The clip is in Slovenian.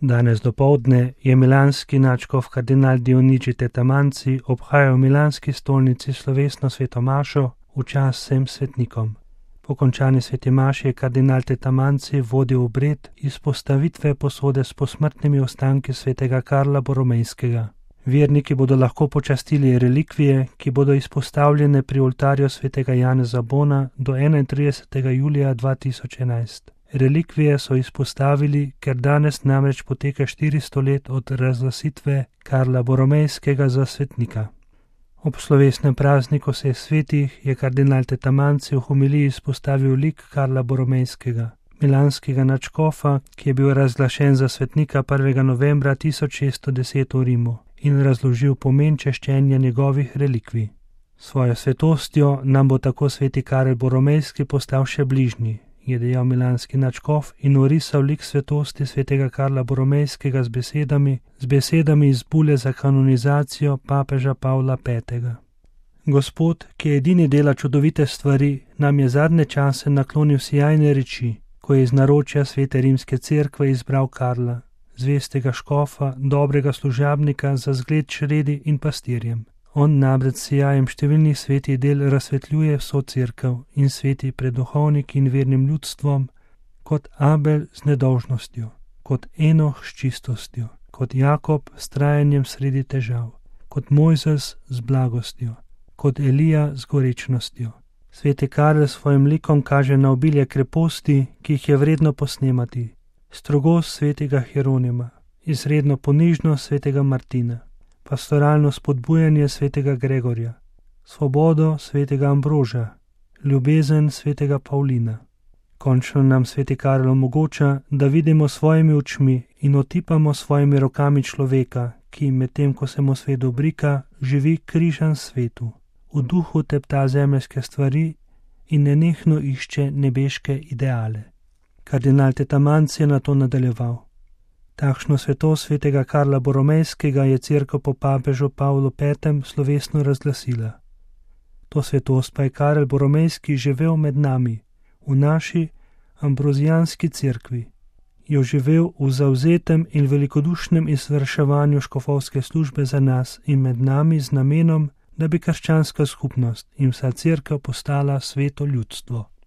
Danes dopoldne je milanski nadškof kardinal Dionigi Tetamanci obhajal v milanski stolnici slovesno sveto mašo v čast vsem svetnikom. Po končani sveti maši je kardinal Tetamanci vodil obred izpostavitve posode s posmrtnimi ostanki svetega Karla Boromejskega. Verniki bodo lahko počastili relikvije, ki bodo izpostavljene pri oltarju svetega Janeza Bona do 31. julija 2011. Relikvije so izpostavili, ker danes namreč poteka 400 let od razglasitve Karla Boromejskega za svetnika. Ob slovesnem prazniku vseh svetih je kardinal Tetamanci v homiliji izpostavil lik Karla Boromejskega, milanskega nadškofa, ki je bil razglašen za svetnika 1. novembra 1610 v Rimu, in razložil pomen češčenja njegovih relikvij. Svojo svetostjo nam bo tako sveti Karel Boromejski postal še bližnji, je dejal milanski nadškof in orisal lik svetosti svetega Karla Boromejskega z besedami iz bule za kanonizacijo papeža Pavla V. Gospod, ki edini dela čudovite stvari, nam je zadnje čase naklonil sijajne reči, ko je iz naročja svete rimske cerkve izbral Karla, zvestega škofa, dobrega služabnika za zgled čredi in pastirjem. On namreč s sijajem številnih svetih del razsvetljuje vso cerkev in sveti pred duhovniki in vernim ljudstvom, kot Abel z nedolžnostjo, kot Enoh s čistostjo, kot Jakob s trajanjem sredi težav, kot Mojzes z blagostjo, kot Elija z gorečnostjo. Sveti Karel s svojim likom kaže na obilje kreposti, ki jih je vredno posnemati, strogost svetega Hieronima, izredno ponižnost svetega Martina, pastoralno spodbujanje svetega Gregorja, svobodo svetega Ambroža, ljubezen svetega Pavlina. Končno nam sveti Karel omogoča, da vidimo svojimi očmi in otipamo svojimi rokami človeka, ki medtem ko se mu svet dobrika, živi križan svetu, v duhu tepta zemeljske stvari in nenehno išče nebeške ideale. Kardinal Tetamanci je na to nadaljeval. Takšno svetost svetega Karla Boromejskega je cerkev po papežu Pavlu V. slovesno razglasila. To svetost pa je Karel Boromejski živel med nami, v naši ambrozijanski cerkvi. Jo živel v zavzetem in velikodušnem izvrševanju škofovske službe za nas in med nami z namenom, da bi krščanska skupnost in vsa cerkev postala sveto ljudstvo.